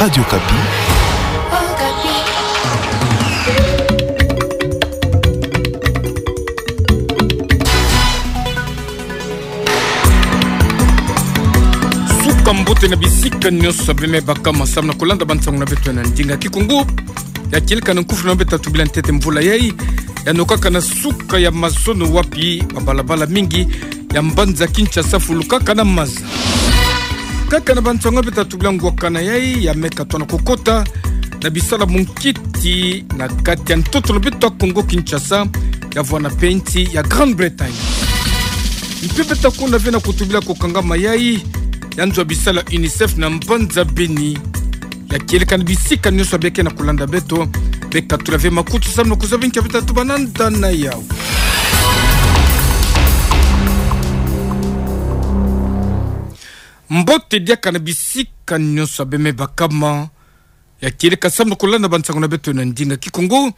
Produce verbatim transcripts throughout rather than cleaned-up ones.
Radio Okapi. Suka mbote na bisika nyonso beme bakama, samu na kulanda bansangu na beto na ndinga Kikongo. Ya kieleka na nkufulu na beto tubila ntete mvula yai ya nokaka na suka ya mazono wapi babalabala mingi ya mbanza Kinshasa fulukaka na maza. Kaka na bansangu beto tubila ngwakana yai ya meka tona kukota na bisala munkiti na kati ya ntoto na beto Kongo Kinshasa, ya vwana mpe nsi ya Grande-Bretagne. Mpe beto kuna ve na kutubila kukangama yai ya nzo ya bisala UNICEF na mbanza Beni. Ya kieleka na bisika nyonso beke na kulanda beto, beka tula ve makutu samu na kuzaba nki beto tubananda na yau. Mbote diaka na bisika nyonso beme bakama. Ya kieleka samu na kulanda bansangu na beto na ndinga Kikongo.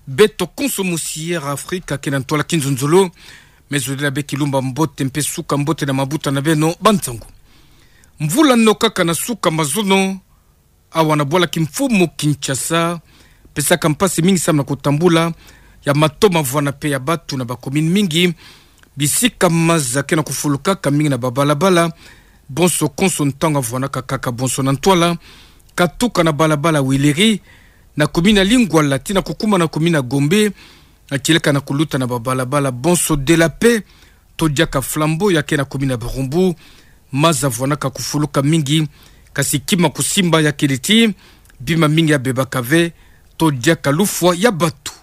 Beto konso mosi ya Afrika ke na ntwala kinzonzolo, me zolila be kilumba mbote mpe suka mbote na mabuta na beno bansangu. Mvula nokaka na suka mazono, awa na bwala kimfumu Kinshasa, pesaka mpasi mingi samu na kutambula ya matoma vwana mpe ya batu na bakomini mingi. Bisika maza ke na kufulukaka mingi na babalabala, bonso konso ntangu vwanaka kaka bonso na ntwala, katuka na balabala Wileri, na komini ya Lingwala tii na kukuma na komini ya Gombe, ya kieleka na kuluta na babalabala bonso de la Paix, to diaka Flambeau ya ke na komini ya Barumbu, maza vwanaka kufuluka mingi, kasi kima kusimba ya kele ti bima mingi ya bebaka ve, to diaka lufwa ya batu.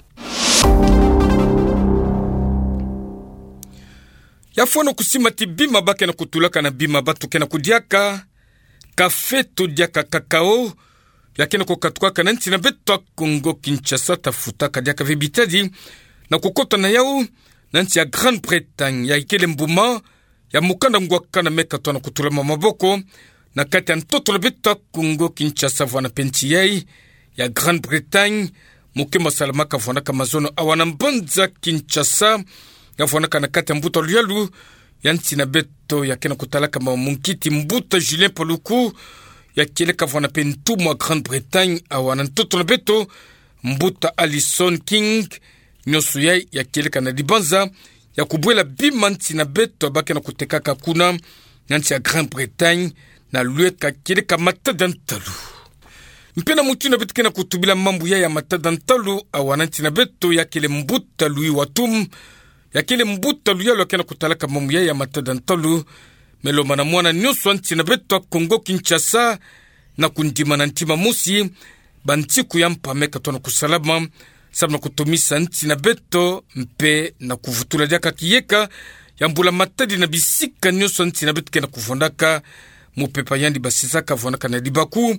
Ya fwana kusimba ti bima ba ke na kutulaka na bima batu ke na kudiaka, café to diaka cacao, ya ke na kukatukaka na nsi na beto Kongo Kinshasa, tafutaka diaka ve bitadi na kukota na yau na nsi ya Grande-Bretagne. Ya ikele mbuma ya mukanda ngwakana meka tona kutulama maboko na kati ya ntoto na beto Kongo Kinshasa vwana mpe nsi yai ya Grande-Bretagne. Muke masalamaka vwanaka mazono awa na mbanza Kinshasa, ya vwanaka na kati ya mbuta luyalu ya nsi na beto ya ke na kutalaka ma munkiti, mbuta Julien Paluku, ya kieleka vwana mpe ntumwa Grande-Bretagne awa na ntoto na beto, mbuta Alison King. Nyonso yai ya kieleka na dibanza ya kubwela bima nsi na beto ba ke na kutekaka kuna na nsi ya Grande-Bretagne, na lweka kieleka matada ntalu. Mpe na mutindu beto ke na kutubila mambu yai ya matada ntalu awa na nsi na beto, ya kele mbuta Louis Watum, ya kele mbuta luyalu ya ke na kutalaka mambu yai ya matada ntalu, me lomana mwana nyonso wa nsi na beto Kongo Kinshasa na kundima na ntima mosi bansiku ya mpa meka tona kusalama, samu na kutomisa nsi na beto mpe na kuvutula diaka kiyeka ya mbula matadi na bisika nyonso nsi na beto ke na kuvwandaka. Mupepa yandi basisaka vwanaka na libaku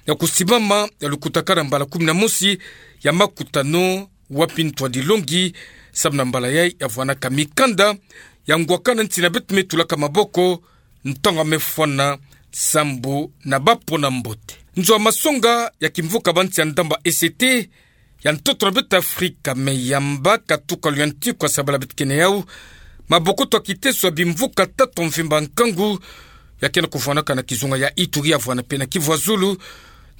ya kusimbama ya lukutakanu mbala kumi na mosi ya makutano wapi ntwadilongi, samu na mbala yai ya vwanaka mikanda ya ngwakana nsi na beto me tulaka maboko ntangu me fwana sambu na bapona mbote. Nzo ya masonga ya kimvuka bansi ya ndamba E C T ya ntoto na beto Afrika me yamba katuka luyantiku ya sabala beto ke na yau, maboko to kiteso ya bimvuka tata mvimba nkangu ya ke na kuvwanaka na kizunga ya Ituri ya vwana mpe na Kivu ya Zulu,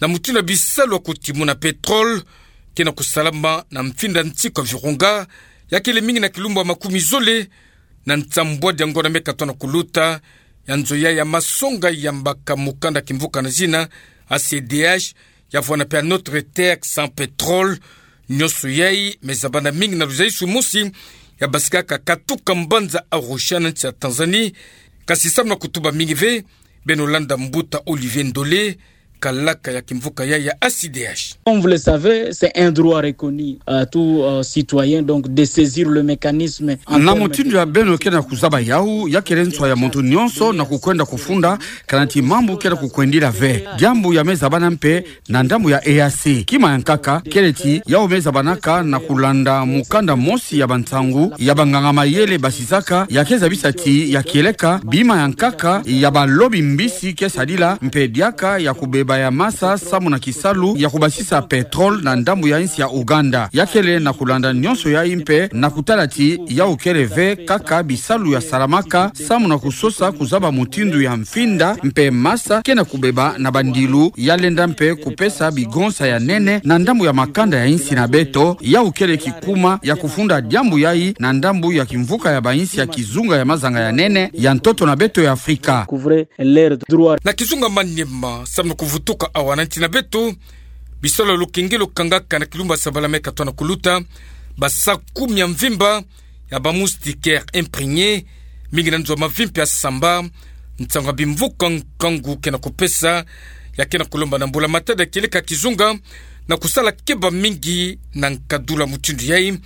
na mutindu ya bisalu ya kutimuna pétrole ke na kusalama na mfinda nsiku ya Virunga, ya kele mingi na kilumbu ya makumi zole na nsambwadi ya ngonda meka tona kuluta. Ya nzo yai ya masonga yambaka mukanda kimvuka na zina A C D H, ya vwana mpe Notre Terre sans pétrole. Nyonso yai me zabana mingi na luzaisu mosi ya basikaka katuka mbanza Arusha na nsi ya Tanzanie. Kasi samu na kutuba mingi ve, beno landa mbuta Olivier Ndole, kalaka ya kimvuka yai ya A C D H. Comme vous le savez, c'est un droit reconnu à tout, euh, citoyen, donc, de saisir le mécanisme en... Na termes mutindu ya beno ke na kuzaba yau, ya kele nswa ya muntu nyonso na kukwenda kufunda, kana ti mambu ke na kukwendila ve. Diambu ya me zabana mpe na ndambu ya E A C. Kima ya nkaka kele ti yau me zabanaka na kulanda mukanda mosi ya bansangu ya banganga mayele basisaka, ya ke zabisa ti ya kieleka bima ya nkaka ya balobi mbisi ke sadila mpe diaka ya kubeba ya masa samu na kisalu ya kubasisa pétrole na ndambu ya insi ya Ouganda. Ya kele na kulanda nyonso yayi mpe na kutala ti yawu kele ve kaka bisalu ya salamaka samu na kusosa kuzaba mutindu ya mfinda mpe masa ke na kubeba na bandilu ya lenda mpe kupesa bigonsa ya nene na ndambu ya makanda ya insi na beto, yawu kele kikuma ya kufunda diambu yayi na ndambu ya kimvuka ya bainsi ya kizunga ya mazanga ya nene ya ntoto na beto ya Afrika. Na kizunga Maniema, samu na kuvutuka awa na nti na beto, bisalu ya lukenge lukangaka na kilumbu ya sabala me katoa na kuluta, basa kumi ya mvimba ya ba moustiquaire imprégnée, mingi na nzo ya mavimpi ya samba, nsangu ya bimvuka nkangu ke na kupesa, ya ke na kulomba na mbula matadi ya kieleka kizunga, na kusala keba mingi na nkadulu ya mutindu yayi,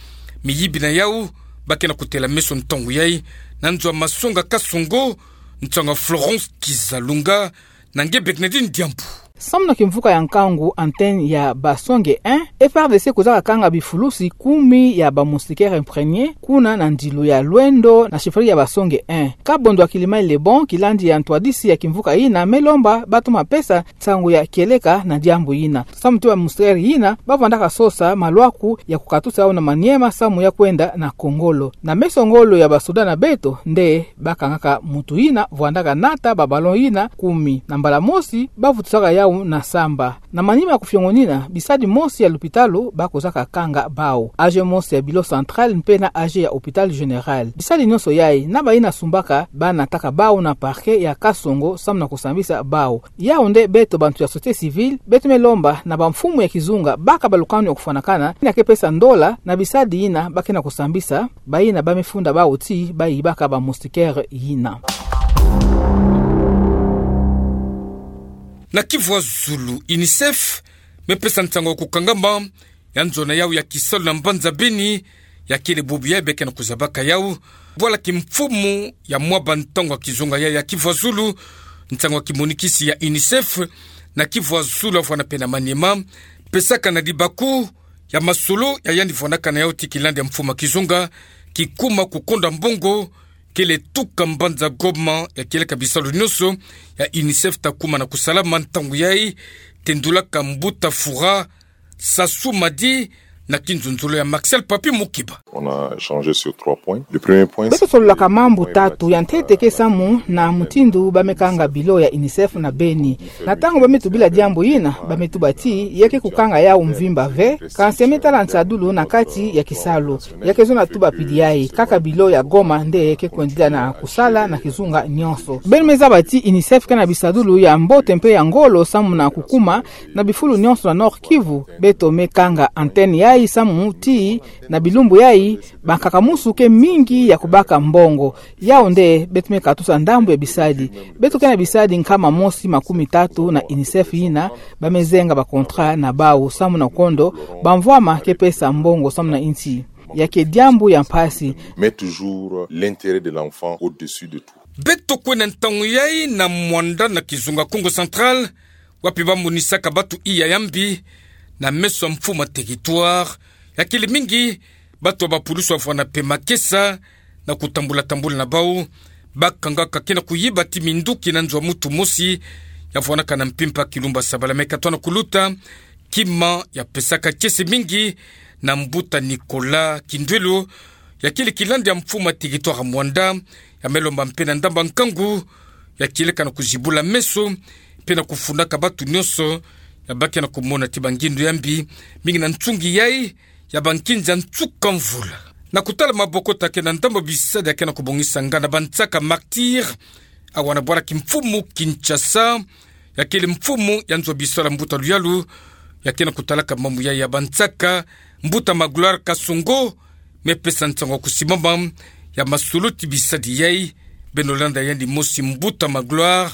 miyibi na yawu, ba ke na kutela meso ntangu yayi, na nzo ya masonga Kasongo, nsangu ya Florence Kizalunga, na nge Bernadine Diambu. Samu na kimvuka ya nkangu, antenne ya Basonge un, F R D C kwiza kakanga bifulusi kumi ya ba moustiquaire imprégnée, kuna na ndilu ya Lwendo na chefferie ya Basonge un. Kabondo ya Kilimani Lebon, kilandi ya ntwadisi ya kimvuka yina, me lomba bato mapesa nsangu ya kieleka na diambu yina. Samu ti ba moustiquaire yina, ba vwandaka sosa malwaku ya kukatusa yawu na Maniema samu ya kwenda na Kongolo. Na meso ngolo ya basoda na beto, nde ba kangaka mutu yina vwandaka nata ba ballon yina kumi. Na mbala mosi, ba vutusaka yawu na samba. Na manima ya kufiongonina, bisadi mosi ya lupitalu ba kwizaka kanga bawu. Age mosi ya Bilo Central mpe na age ya Hôpital Général. Bisadi nyonso yayi, na bayina sumbaka, ba nataka bawu na parquet ya Kasongo samu na kusambisa bawu. Yawu nde beto bantu ya société civile, beto me lomba na bamfumu ya kizunga, baka ba lukanu ya kufwanakana, yina ke pesa ndola na bisadi yina ba ke na kusambisa, bayina ba me funda bawu ti ba yibaka ba moustiquaire yina. Na Kivu ya Zulu, UNICEF me pesa nsangu ya kukangama ya nzo na yawu ya kisalu na mbanza Beni, ya kele bubu yayi be ke na kuzabaka yawu. Bwala kimfumu ya mwa bantangu ya kizunga yayi ya Kivu ya Zulu, nsangu ya kimonikisi ya UNICEF na Kivu ya Zulu, ya vwanda mpe na Maniema, pesaka na libaku ya masolo ya yandi vwandaka na yawu ti kilandi ya mfumu ya kizunga, kikuma kukonda mbongo, kele tuka mbanza Goma, ya kieleka bisalu nyonso ya UNICEF ta kuma na kusalama ntangu yayi, tendulaka mbuta Fura Sassou Madi na kinzonzolo ya Marcel Papi Mukiba. On a échangé sur trois points. Le premier point, beto sololaka mambu tatu. Ya ntete ke samu na mutindu ba me kanga bilo ya UNICEF na Beni. Na ntangu ba me tubila diambu yina, ba me tuba ti ya ke kukanga yawu mvimba ve, kansi ya me tala nsadulu na kati ya kisalu. Ya ke zonza tuba pili yayi, kaka bilo ya Goma nde ke kwendila na kusala na kizunga nyonso. Beno me zaba ti UNICEF ke na bisadulu ya mbote mpe ya ngolo samu na kukuma na bifulu nyonso na Nord-Kivu. Beto me kanga antenne yayi samu ti na bilumbu yayi, bankaka-musu ke mingi ya kubaka mbongo. Yawu nde beto me katusa ndambu ya bisadi. Beto ke na bisadi nkama mosi makumi tatu na UNICEF yina, ba me zenga ba contrat na bawu samu na kondo, bamvwama ke pesa mbongo samu na insi. Ya ke diambu ya mpasi. Met toujours l'intérêt de l'enfant au-dessus de tout. Beto kwenda ntangu yayi na Muanda na kizunga Kongo Central, wapi ba monisaka batu iya ya mbi na meso ya mfumu ya territoire. Ya kele mingi batu ya bapulusu ya vwanda mpe makesa na kutambula-tambula na bawu. Ba kangaka ke na kuyiba ti minduki na nzo ya mutu mosi ya vwandaka na mpimpa kilumbu ya sabala me katoa na kuluta, kima ya pesaka kiese mingi na mbuta Nicolas Kindwelo, ya kele kilandi ya mfumu ya territoire ya Muanda, ya me lomba mpe na ndambu ya nkangu ya kieleka na kuzibula meso mpe na kufundaka batu nyonso ya ba ke na kumona ti bangindu ya mbi, mingi na nsungi yayi ya bankinza nsuka mvula. Na kutala maboko ta ke na ndambu ya bisadi ya ke na kubongisa nganda bansaka Martyrs, awa na bwala kimfumu Kinshasa, ya kele mfumu ya nzo ya bisalu ya mbuta Luyalu, ya ke na kutalaka mambu yayi ya bansaka, mbuta Magloire Kasongo, me pesa nsangu ya kusimama ya masolo ti bisadi yayi. Beno landa yandi mosi mbuta Magloire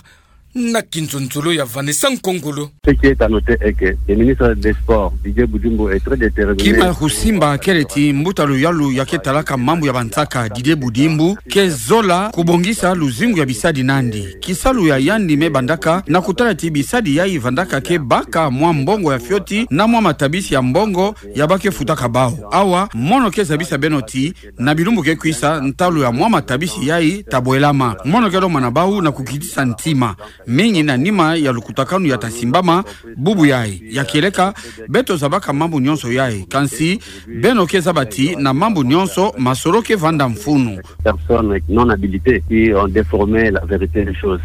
na kinzonzolo ya Vanessa Nkongolo. Ce qui est à noter est que le ministre des Sports, Didier Budimbu, est très déterminé. Kima ya kusimba kele ti mbuta Luyalu ya ke talaka mambu ya bansaka, Didier Budimbu, ke zola kubongisa luzingu ya bisadi nandi. Kisalu ya yandi me bandaka na kutala ti bisadi yayi vandaka ke baka mwa mbongo ya fioti na mwa matabisi ya mbongo ya ba ke futaka bawu. Awa, mono ke zabisa beno ti na bilumbu ke kwisa, ntalu ya mwa matabisi yayi ta bwelama. Mono ke lomba na bawu na kukitisa ntima. mingi na nima ya lukutakanu ya tasimbama. Bubu yayi ya kieleka, beto zabaka mambu nyonso yayi, kansi beno ke zaba ti na mambu nyonso masoro ke vanda mfunu. Personnes non habilitées qui ont déformé la vérité des choses.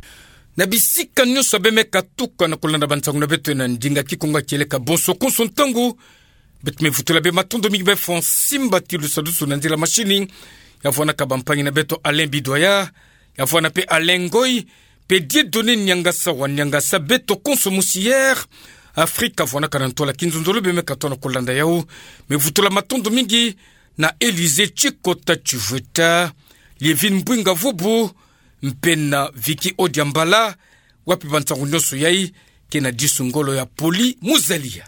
Na bisika nyonso beme katuka na kolanda bansangu na beto na ndinga Kikongo ya kieleka, bonso konso ntangu. Beto me vutula bie matondo mingi bie Francine Batilu Sadusu na nzila mashini. Ya vwanaka bampangi na beto Alain Bidoya, ya vwana pe Alain Ngoy, pe Dieudonné Niangasa wa Niangasa, beto konso musi Air Afrique ya vwanaka na ntwala. Kinzonzolo beme katoa na kolanda yau. Me vutula matondo mingi na Élysée Tshikota Tshivweta, Lievine Mbwinga Vubu, mpe na Vicky Odiambala, wapi bansangu nyonso yayi ke na disu ngolo ya Poli Muzalia.